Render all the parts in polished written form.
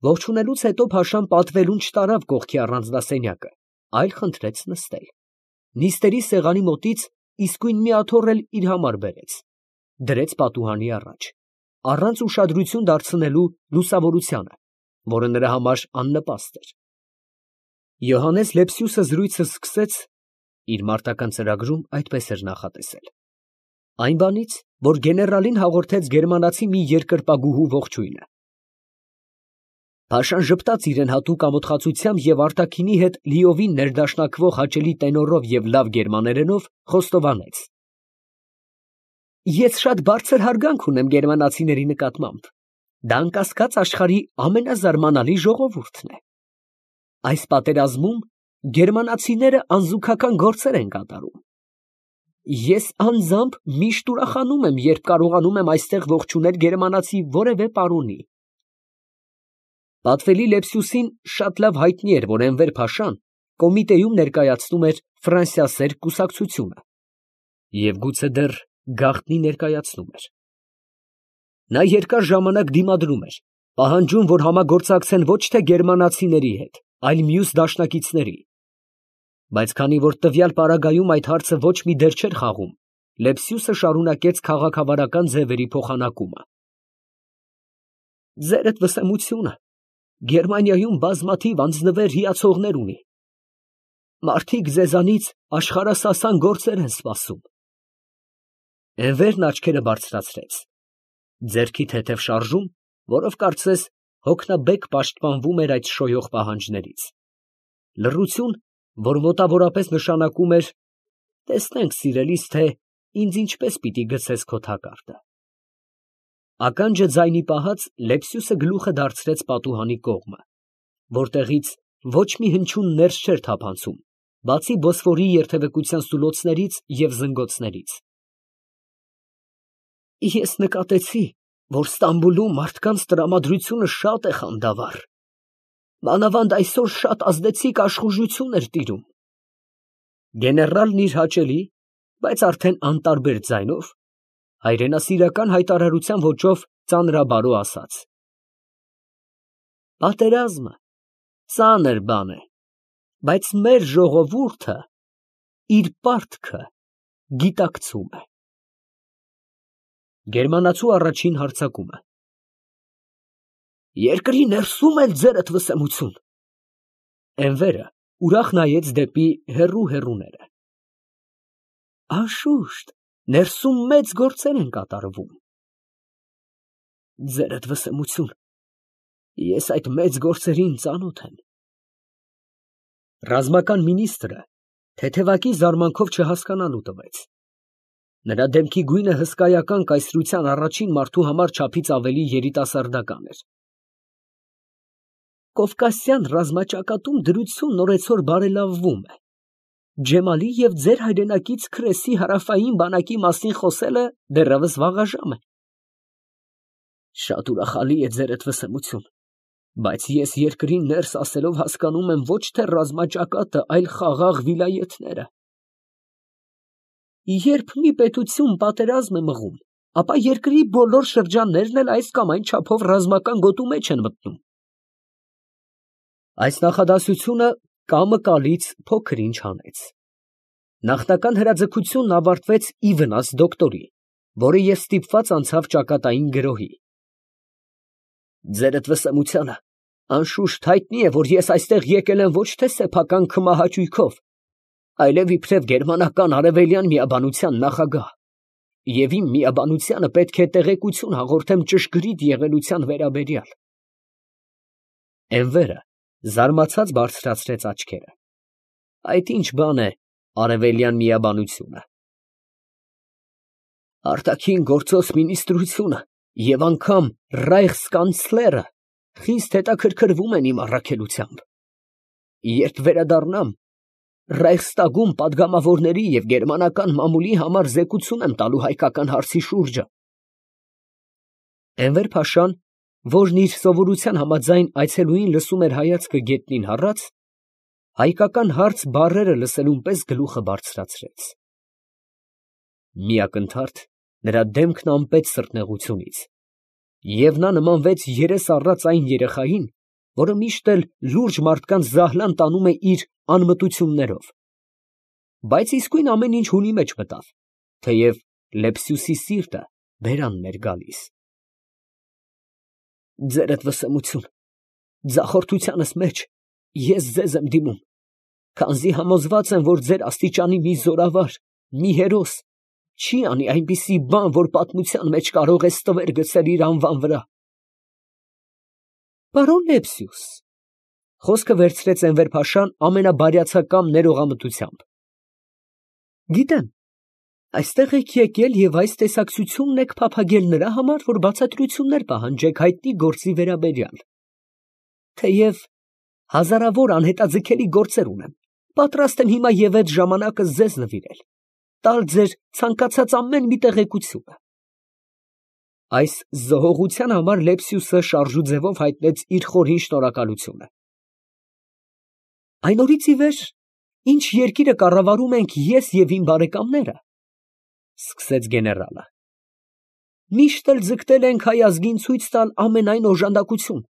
Ողջունելուց հետո փաշան պատվելուն չտարավ կողքի առանձնասենյակը, այլ խնդրեց նստել։ Նիստերի սեղանի մոտից իսկույն մի աթոռ էլ իր համար բերեց, դրեց պատուհանի առաջ, առանց ուշադրություն դարձնելու լուսավորությանը, որը նրա համար աննպաստ էր։ Յոհաննես Լեպսիուսը զրույցը սկսեց (իր մարտական ծրագրում այդպես էր նախատեսել) այն բանից, որ գեներալին հաղորդեց գերմանացի մի երկրպագուհու ողջույնը։ Փաշան ժպտաց իրան հատուկ ամոթխածությամբ և արտաքինի հետ լիովին ներդաշնակվող հաճելի տենորով և լավ գերմաներենով խոստովանեց. Ես շատ բարձր հարգանք ունեմ գերմանացիների նկատմամբ. դա անկասկած աշխարհի ամենազարմանալի ժողովուրդն է։ Այս պատերազմում գերմանացիները անզուգական գործեր են կատարում։ Ես անձամբ միշտ ուրախանում եմ, երբ կարողանում եմ այստեղ ողջունել գերմանացի որևէ պարոնի։ Պատվելի Լեպսիուսին շատ լավ հայտնի էր, որ Էնվեր փաշան կոմիտեում ներկայացնում էր ֆրանսիասեր կուսակցությունը և գուցե դեռ գաղտնի ներկայացնում էր։ Նա երկար ժամանակ դիմադրում էր, պահանջում, որ համագործակցեն ոչ թե գերմանացիների հետ, այլ մյուս դաշնակիցների, բայց քանի որ տվյալ պարագայում այդ հարցը ոչ մի դեր չէր խաղում, Լեպսիուսը շարունակեց քաղաքավարական ձևերի փոխանակումը։ Ձերդ վսեմությունը Գերմանիայում բազմաթիվ անձնվեր հիացողներ ունի։ Մարդիկ ձեզանից աշխարհասասան գործեր են սպասում։ Էնվերն աչքերը բարձրացրեց, ձեռքի թեթև շարժում, որով կարծես հոգնաբեկ պաշտպանվում էր այդ շոյող պահանջներից։ Լռություն, որ մոտավորապես նշանակում էր. տեսնենք, սիրելիս, թե ինձ ինչպես պիտի գցես քո թակարդը։ Ականջը ձայնի պահած Լեպսիուսը գլուխը դարձրեց պատուհանի կողմը, որտեղից ոչ մի հնչյուն ներս չէր թափանցում, բացի Բոսֆորի երթևեկության սուլոցներից և զնգոցներից։ Ես նկատեցի, որ Ստամբուլում մարդկանց տրամադրությունը շատ է խանդավառ, մանավանդ այսօր շատ ազդեցիկ աշխուժություն էր տիրում։ Գեներալն իր հաճելի, բայց արդեն անտարբեր ձայնով, հայրենասիրական հայտարարության ոճով ծանրաբարո ասաց. Պատերազմը ծանր բան է, բայց մեր ժողովուրդը իր պարտքը գիտակցում է։ Գերմանացու առաջին հարձակումը։ Երկրի ներսում էլ ձերդ վսեմություն։ Էնվերը ուրախ նայեց դեպի հեռու հեռուները։ Անշուշտ, ներսում մեծ գործեր են կատարվում։ Ձերդ վսեմություն, ես այդ մեծ գործերին ծանոթ եմ։ Ռազմական մինիստրը թեթևակի զարմանքով չհասկանալու տվեց։ Նրա դեմքի գույնը հսկայական կայսրության առաջին մարդու համար չափից ավելի երիտասարդական էր։ Կովկասյան ռազմաճակատում դրությունն օրեցօր բարելավվում է։ Ջեմալի և ձեր հայրենակից Քրեսի հարավային բանակի մասին խոսելը դեռևս վաղաժամ է։ Շատ ուրախալի է ձերդ վսեմություն, բայց ես երկրին ներս ասելով հասկանում եմ ոչ թե ռազմաճակատը, այլ խաղաղ վիլայեթները։ Երբ մի պետություն պատերազմ է մղում, ապա երկրի բոլոր շրջաններն էլ այս կամ այն չափով ռազմական գոտու մեջ են մտնում։ Այս նախադասությունը կամը կալից փոքր ինչ հանեց։ Նախնական հրաձգությունն ավարտվեց ի վնաս դոկտորի, որը և ստիպված անցավ ճակատային գրոհի։ Ձերդ վսեմությանը անշուշտ հայտնի է, որ ես այստեղ եկել եմ ոչ թե սեփական քմահաճույքով, այլև իբրև գերմանական արևելյան միաբանության նախագահ, և իմ միաբանությանը պետք է տեղեկություն հաղորդեմ ճշգրիտ եղելության վերաբերյալ։ Էնվերը զարմացած բարձրացրեց աչքերը։ Այդ ինչ բան է արևելյան միաբանությունը։ Արտաքին գործոս մինիստրությունը և անգամ ռայխսկանցլերը խիստ հետաքրքրվում են իմ առաքելությամբ։ Երբ վերադառնամ, Ռայխստագում պատգամավորների և գերմանական մամուլի համար զեկուցում եմ տալու հայկական հարցի շուրջը։ Էնվեր փաշան, որն իր սովորության համաձայն այցելուին լսում էր հայացքը գետնին հառած, հայկական հարց բառերը լսելուն պես գլուխը բարձրացրեց։ Մի ակնթարթ նրա դեմքն անպեց սրտնեղությունից, և նա նմանվեց երես առած այն երեխային, որը միշտ էլ լուրջ մարդկանց զահլան տանում է իր անմտություններով, բայց իսկույն ամեն ինչ հունի մեջ մտավ, թեև Լեպսյուսի սիրտը բերանն էր գալիս։ Ձերդ վսեմություն, ձախորդությանս մեջ ես ձեզ եմ դիմում, քանզի համոզված եմ, որ ձեր աստիճանի մի զորավար, մի հերոս չի անի այնպիսի բան, որ պատմության մեջ կարող է ստվեր գցել իր անվան վրա։ Պարոն Լեպսյուս, խոսքը վերցրեց Էնվեր֊փաշան ամենաբարյացակամ ներողամտությամբ, գիտեմ, այստեղ եք եկել և այս տեսակցությունն եք փափագել նրա համար, որ բացատրություններ պահանջեք հայտնի գործի վերաբերյալ, թեև հազարավոր անհետաձգելի գործեր ունեմ, պատրաստ եմ հիմա և այդ ժամանակը ձեզ նվիրել, տալ ձեր ցանկացած ամեն մի տեղեկությունը։ Այս զոհողության համար Լեպսյուսը շարժու ձևով հայտնեց իր խորին շնորհակալությունը։ Այն օրից ի վեր, ինչ երկիրը կառավարում ենք ես և իմ բարեկամները, սկսեց գեներալը, միշտ էլ ձգտել ենք հայ ազգին ցույց տալ ամենայն օժանդակություն,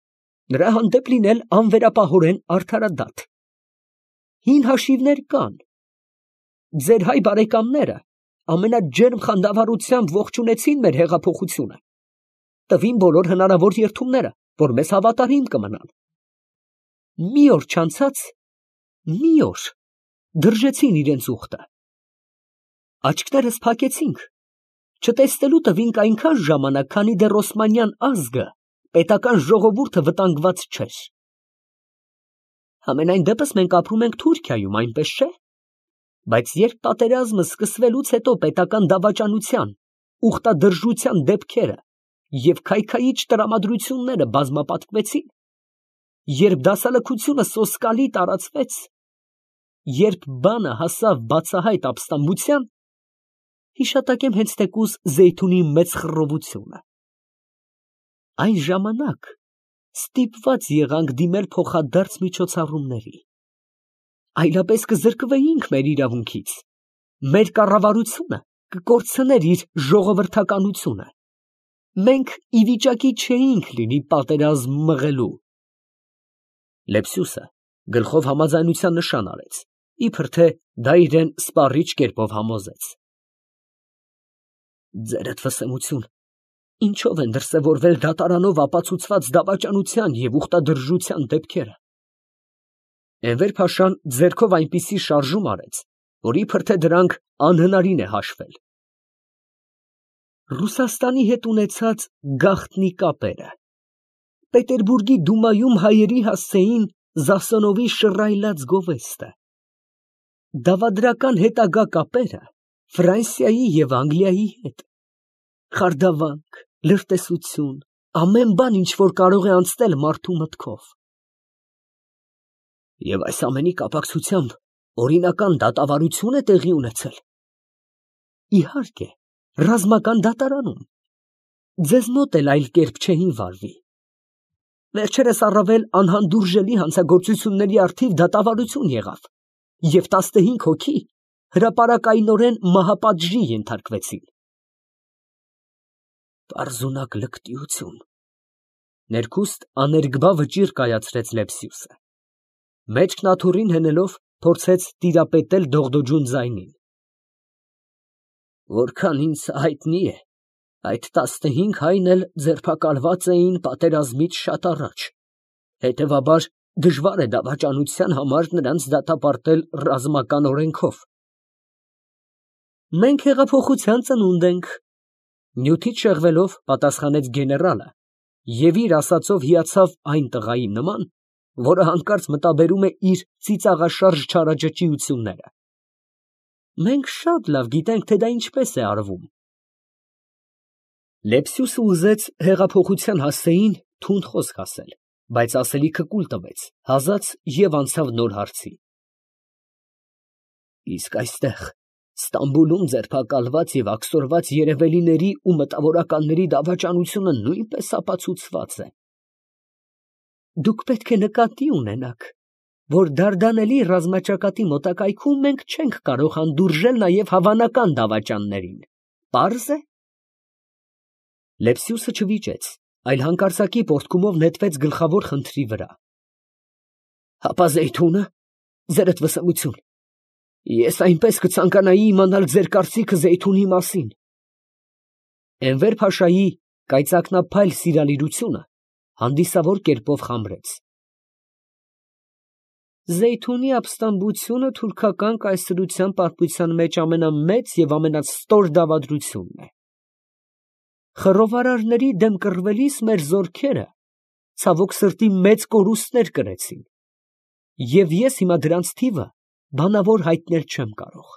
նրա հանդեպ լինել անվերապահորեն արդարադատ։ Հին հաշիվներ կան։ Ձեր հայ բարեկամները ամենաջերմ խանդավառությամբ ողջունեցին մեր հեղափոխությունը, տվին բոլոր հնարավոր երդումները, որ մեզ հավատարիմ կմնան։ Մի օր չանցած, մի օր դրժեցին իրենց ուխտը։ Աչքներս փակեցինք, չտեսնելու տվինք այնքան ժամանակ, քանի դեռ Օսմանյան ազգը, պետական ժողովուրդը վտանգված չէր։ Համենայն դեպս մենք ապրում ենք Թուրքիայում, այնպես չէ՞։ Բայց երբ պատերազմը սկսվելուց հետո պետական դավաճանության, ուխտադրժության դեպքերը և քայքայիչ տրամադրությունները բազմապատկվեցին, երբ դասալքությունը սոսկալի տարածվեց, երբ բանը հասավ բացահայտ ապստամբության, հիշատակեմ հենց թեկուզ Զեյթունի մեծ խռովությունը։ Այն ժամանակ ստիպված եղանք դիմել փոխադարձ միջոցառումների, այլապես կզրկվեինք մեր իրավունքից, մեր կառավարությունը կկորցներ իր ժողովրդականությունը, մենք ի վիճակի չէինք լինի պատերազմ մղելու։ Լեպսյուսը գլխով համաձայնության նշան արեց, իբր թե դա իրեն սպառիչ կերպով համոզեց։ Ձերդ վսեմություն, ինչով են դրսևորվել դատարանով ապացուցված դավաճանության և ուխտադրժության դեպքերը։ Էնվեր֊փաշան ձեռքով այնպիսի շարժում արեց, որ իբր թե դրանք անհնարին է հաշվել։ Ռուսաստանի հետ ունեցած գաղտնի կապերը, Պետերբուրգի դումայում հայերի հասցեին Զասոնովի շռայլած գովեստը, դավադրական հետագա կապերը Ֆրանսիայի և Անգլիայի հետ, խարդավանք, լրտեսություն, ամեն բան, ինչ որ կարող է անցնել մարդու մտքով։ Եվ այս ամենի կապակցությամբ օրինական դատավարություն է տեղի ունեցել։ Իհարկե, ռազմական դատարանում, ձեզ մոտ էլ այլ կերպ չէին վարվի։ Վերջերս առավել անհանդուրժելի հանցագործությունների առթիվ դատավարություն եղավ, և 15 հոգի հրապարակայնորեն մահապատժի ենթարկվեցին։ Պարզունակ լկտիություն, ներքուստ աներկբա վճիռ կայացրեց Լեպսյուսը, մեջքն աթոռին հենելով փորձեց տիրապետել դողդոջուն ձայնին։ Որքան ինձ հայտնի է, այդ 15 հայն էլ ձերբակալված էին պատերազմից շատ առաջ, հետևաբար դժվար է դավաճանության համար նրանց դատապարտել ռազմական օրենքով։ Մենք հեղափոխության ծնունդ ենք, նյութից շեղվելով պատասխանեց գեներալը և իր ասածով հիացավ այն տղայի նման, որը հանկարծ մտաբերում է իր ծիծաղաշարժ չարաճճիությունները։ Մենք շատ լավ գիտենք, թե դա ինչպես է արվում։ Լեպսյուսը ուզեց հեղափոխության հասցեին թունդ խոսք ասել, բայց ասելիքը կուլ տվեց, հազաց և անցավ նոր հարցի։ Իսկ այստեղ, Ստամբուլում ձերբակալված և աքսորված երևելիների ու մտավորականների դավաճանությունը նույնպես ապացուցված է։ Դուք պետք է նկատի ունենաք, որ Դարդանելի ռազմաճակատի մոտակայքում մենք չենք կարող հանդուրժել նաև հավանական դավաճաններին։ Պարզ է։ Լեպսյուսը չվիճեց, այլ հանկարծակի պոռթկումով նետվեց գլխավոր խնդրի վրա։ Հապա Զեյթունը, ձերդ վսեմություն, ես այնպես կցանկանայի իմանալ ձեր կարծիքը Զեյթունի մասին։ Էնվեր Փաշայի կայծակնափայլ սիրալիրությունը հանդիսավոր կերպով խամրեց։ Զեյթունի ապստամբությունը թուրքական կայսրության պատմության մեջ ամենամեծ և ամենաստոր դավադրությունն է։ Խռովարարների դեմ կռվելիս մեր զորքերը ցավոք սրտի մեծ կորուստներ կրեցին, և ես հիմա դրանց թիվը բանավոր հայտնել չեմ կարող։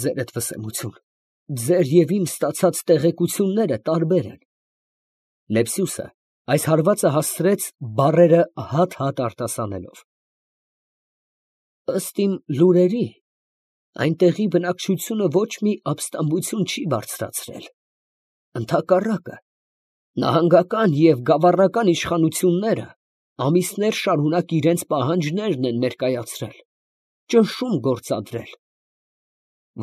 Ձերդ վսեմություն, ձեր և իմ ստացած տեղեկությունները տարբեր են։ Լեպսյուսը այս հարվածը հասցրեց բառերը հատ-հատ արտասանելով։ Ըստ իմ լուրերի, այնտեղի բնակչությունը ոչ մի ապստամբություն չի բարձրացրել, ընդհակառակը, նահանգական և գավառական իշխանությունները ամիսներ շարունակ իրենց պահանջներն են ներկայացրել, ճնշում գործադրել։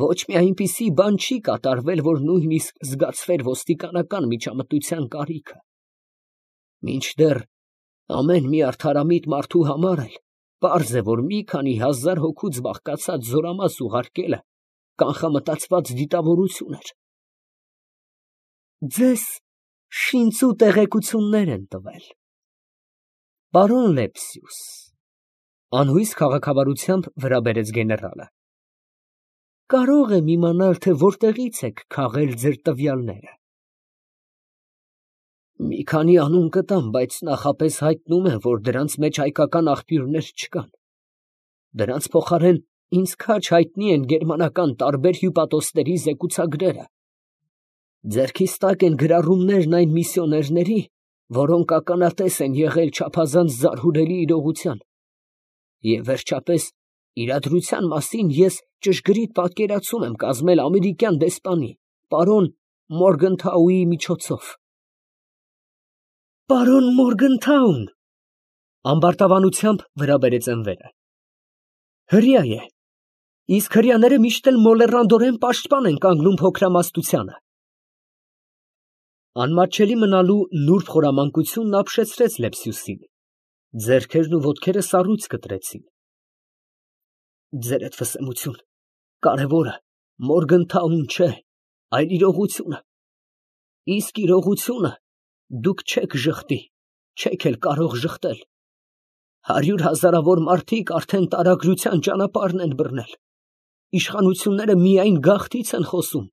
Ոչ մի այնպիսի բան չի կատարվել, որ նույնիսկ զգացվեր ոստիկանական միջամտության կարիքը։ Մինչդեռ ամեն մի արդարամիտ մարդու համար էլ պարզ է, որ մի քանի հազար հոգուց բաղկացած զորամաս ուղարկելը կանխամտածված դիտավորություն էր։ Ձեզ շինծու տեղեկություններ են տվել։ Պարոն Լեպսյուս, անհույս քաղաքավարությամբ վրա բերեց գեներալը, կարող եմ իմանալ, թե որտեղից եք քաղել ձեր տվյալները։ Մի քանի անուն կտամ, բայց նախապես հայտնում եմ, որ դրանց մեջ հայկական աղբյուրներ չկան։ Դրանց փոխարեն ինձ քաջ հայտնի են գերմանական տարբեր հյուպատոսների զեկուցագրերը։ Ձեռքիս տակ են գրառումներն այն միսիոներների, որոնք ականատես են եղել չափազանց զարհուրելի իրողության։ Եվ վերջապես, իրադրության մասին ես ճշգրիտ պատկերացում եմ կազմել ամերիկյան դեսպանի, պարոն Մորգընթաուի միջոցով։ Պարոն Մորգընթաուն, ամբարտավանությամբ վրա բերեց Էնվերը, հրեա է, իսկ հրեաները միշտ էլ մոլեռանդորեն պաշտպան են կանգնում փոքրամասնությանը։ Անմատչելի մնալու նուրբ խորամանկությունն ապշեցրեց Լեպսյուսին, ձեռքերն ու ոտքերը սառույց կտրեցին։ Ձերդ վսեմություն, կարևորը Մորգընթաուն չէ, այլ իրողությունը։ Իսկ իրողությունը դուք չեք ժխտի, չեք էլ կարող ժխտել։ 100 հազարավոր մարդիկ արդեն տարագրության ճանապարհն են բռնել։ Իշխանությունները միայն գաղթից են խոսում,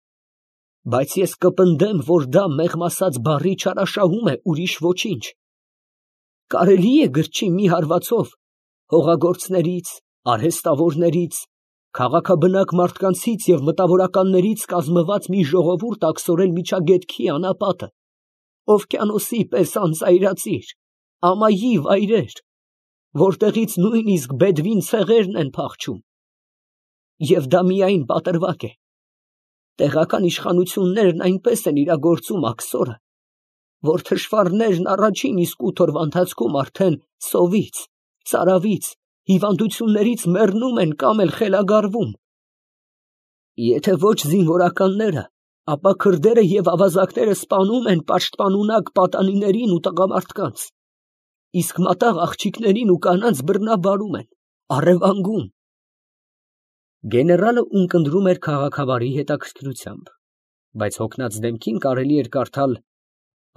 բայց ես կպնդեմ, որ դա մեղմ ասած բառի չարաշահում է, ուրիշ ոչինչ։ Կարելի է գրչի մի հարվածով հողագործներից, արհեստավորներից, քաղաքաբնակ մարդկանցից և մտավորականներից կազմված մի ժողովուրդ աքսորել միջագետքի անապատը, օվկիանոսի պես անծայրածիր, ամայի վայրեր, որտեղից նույնիսկ բեդվին ցեղերն են փախչում։ Եվ դա միայն պատրվակ է։ Տեղական իշխանություններն այնպես են իրագործում աքսորը, որ թշվառներն առաջին իսկ 8 օրվա ընթացքում արդեն սովից, ծարավից, հիվանդություններից մեռնում են կամ էլ խելագարվում։ Եթե ոչ զինվորականները, ապա քրդերը և ավազակները սպանում են պաշտպանունակ պատանիներին ու տղամարդկանց, իսկ մատաղ աղջիկներին ու կանանց բռնաբարում են, առևանգում։ Գեներալը ունկնդրում էր քաղաքավարի հետաքրքրությամբ, բայց հոգնած դեմքին կարելի էր կարդալ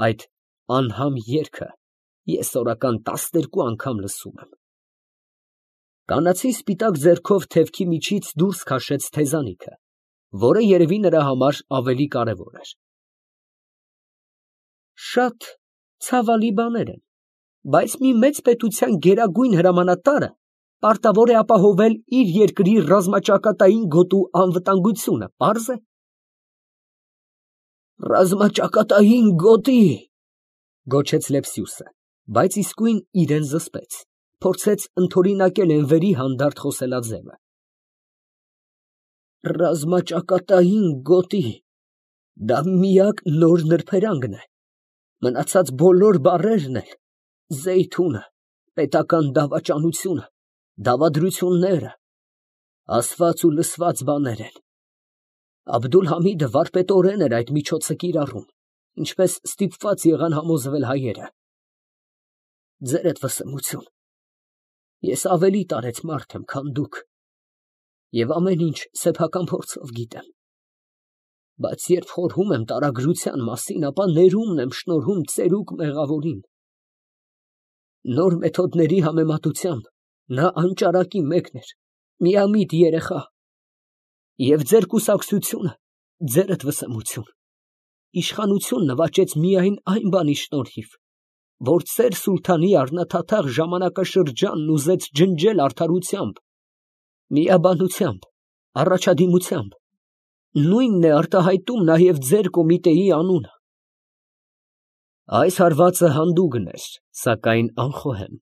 այդ անհամ երգը ես օրական 12 անգամ լսում եմ։ Կանացի սպիտակ ձեռքով թևքի միջից դուրս քաշեց թեզանիքը, որը երևի նրա համար ավելի կարևոր էր։ Շատ ցավալի բաներ են, բայց մի մեծ պետության գերագույն հրամանատարը պարտավոր է ապահովել իր երկրի ռազմաճակատային գոտու անվտանգությունը, պարզ է։ Ռազմաճակատային գոտի, գոչեց Լեպսյուսը, բայց իսկույն իրեն զսպեց, փորձեց ընդօրինակել Էնվերի հանդարտ խոսելաձևը։ Ռազմաճակատային գոտի, դա միակ նոր նրբերանգն է, մնացած բոլոր բառերն էլ, Զեյթունը, պետական դավաճանությունը, դավադրությունները, ասված ու լսված բաներ են։ Աբդուլ֊Համիդը վարպետորեն էր այդ միջոցը կիրառում, ինչպես ստիպված եղան համոզվել հայերը։ Ձերդ վսեմություն, Ես ավելի տարեց մարդ եմ, քան դուք, և ամեն ինչ սեփական փորձով գիտեմ, բայց երբ խորհում եմ տարագրության մասին, ապա ներումն եմ շնորհում ծերուկ մեղավորին։ Նոր մեթոդների համեմատությամբ նա անճարակի մեկն էր, միամիտ երեխա, և ձեր կուսակցությունը ձերդ վսեմություն, իշխանություն նվաճեց միայն այն բանի շնորհիվ, որ ծեր սուլթանի առնաթաթախ ժամանակաշրջանն ուզեց ջնջել արդարությամբ, միաբանությամբ, առաջադիմությամբ, նույնն է արտահայտում նաև ձեր կոմիտեի անունը։ Այս հարվածը հանդուգն էր, սակայն անխոհեմ։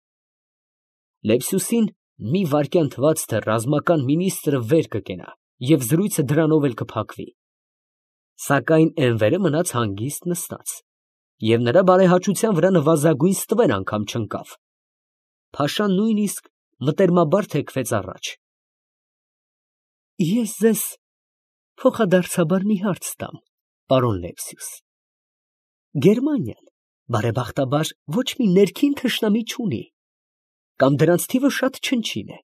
Լեպսյուսին մի վայրկյան թվաց, թե ռազմական մինիստրը վեր կկենա և զրույցը դրանով էլ կփակվի, սակայն Էնվերը մնաց հանգիստ նստած, և նրա բարեհաճության վրա նվազագույն ստվեր անգամ չընկավ։ Փաշան նույնիսկ մտերմաբար թեքվեց առաջ։ Ես ձեզ փոխադարձաբար մի հարց տամ, պարոն Լեպսյուս։ Գերմանիան, բարեբախտաբար, ոչ մի ներքին թշնամի չունի, կամ դրանց թիվը շատ չնչին է,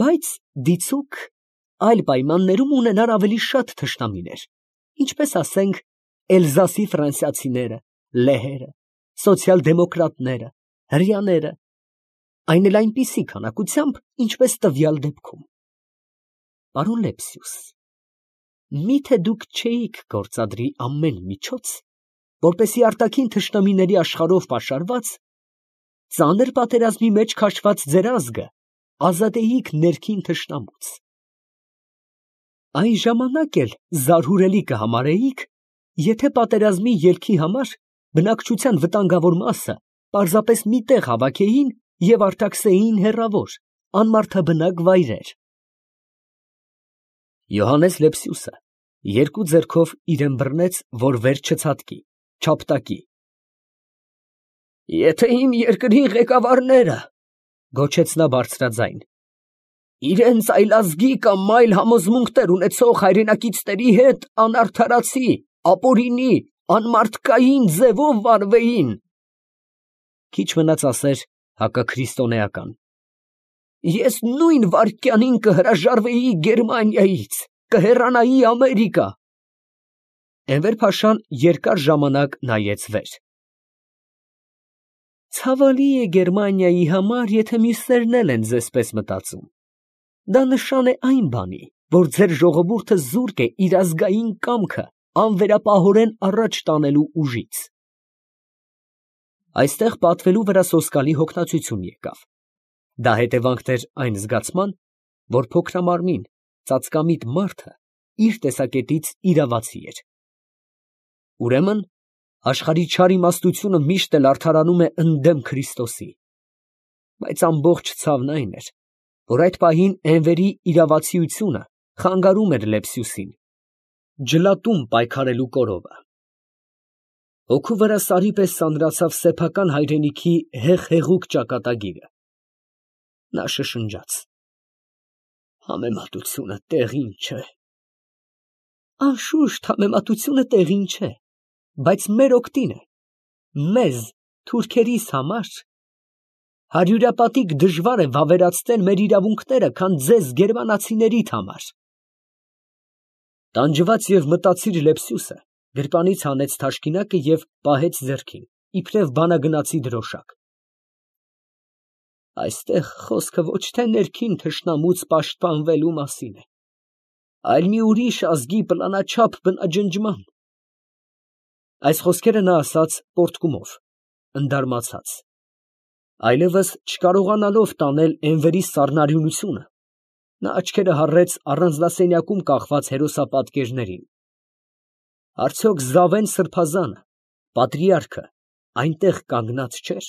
բայց դիցուք այլ պայմաններում ունենար ավելի շատ թշնամիներ, ինչպես ասենք Էլզասի ֆրանսիացիները, լեհերը, սոցիալ֊դեմոկրատները, հրեաները, այն էլ այնպիսի քանակությամբ, ինչպես տվյալ դեպքում։ Պարոն Լեպսյուս, միթե դուք չէիք գործադրի ամեն միջոց, որպեսզի արտաքին թշնամիների աշխարհով պաշարված, ծանր պատերազմի մեջ քաշված ձեր ազգը ազատեիք ներքին թշնամուց։ Այն ժամանակ էլ զարհուրելի կհամարեիք, եթե պատերազմի ելքի համար բնակչության վտանգավոր մասը պարզապես մի տեղ հավաքեին և արտաքսեին հեռավոր, անմարդաբնակ վայրեր։ Յոհաննես Լեպսյուսը երկու ձեռքով իրան բռնեց, որ վեր չցատկի, չապտակի։ Եթե իմ երկրի ղեկավարները, գոչեց նա բարձրաձայն, իրենց այլազգի կամ այլ համոզմունքներ ունեցող հայրենակիցների հետ անարդարացի, ապօրինի, անմարդկային ձևով վարվեին, քիչ մնաց ասեր հակաքրիստոնեական, ես նույն վայրկյանին կհրաժարվեի Գերմանիայից, կհեռանայի Ամերիկա։ Էնվեր֊փաշան երկար ժամանակ նայեց վեր։ Ցավալի է Գերմանիայի համար, եթե մյուսներն էլ են ձեզպես մտածում։ Դա նշան է այն բանի, որ ձեր ժողովուրդը զուրկ է իր ազգային կամքը անվերապահորեն առաջ տանելու ուժից։ Այստեղ պատվելու վրա սոսկալի հոգնածություն եկավ։ Դա հետևանքն էր այն զգացման, որ փոքրամարմին, ծածկամիտ մարդը իր տեսակետից իրավացի էր։ Ուրեմն աշխարհի չար իմաստությունը միշտ էլ արդարանում է ընդդեմ Քրիստոսի։ Բայց ամբողջ ցավն այն էր, որ այդ պահին Էնվերի իրավացիությունը խանգարում էր Լեպսյուսին, ջլատում պայքարելու կորովը։ Հոգու վրա սարի պես սանրացավ սեփական հայրենիքի հեղհեղուկ ճակատագիրը։ Նա շշնջաց. Համեմատությունը տեղին չէ։ Անշուշտ համեմատությունը տեղին չէ, բայց մեր օգտին է, մեզ, թուրքերիս համար հարյուրապատիկ դժվար է վավերացնել մեր իրավունքները, քան ձեզ գերմանացիներիդ համար։ Տանջված և մտածիր Լեպսյուսը գրպանից հանեց թաշկինակը և պահեց ձեռքին, իբրև բանագնացի դրոշակ։ Այստեղ խոսքը ոչ թե ներքին թշնամուց պաշտպանվելու մասին է, այլ մի ուրիշ ազգի պլանաչափ բնաջնջման։ Այս խոսքերը նա ասաց պոռթկումով, ընդարմացած, այլևս չկարողանալով տանել Էնվերի սառնարյունությունը, նա աչքերը հառեց առանձնասենյակում կախված հերոսապատկերներին։ Արդյոք Զավեն սրբազանը, պատրիարքը, այնտեղ կանգնած չէր։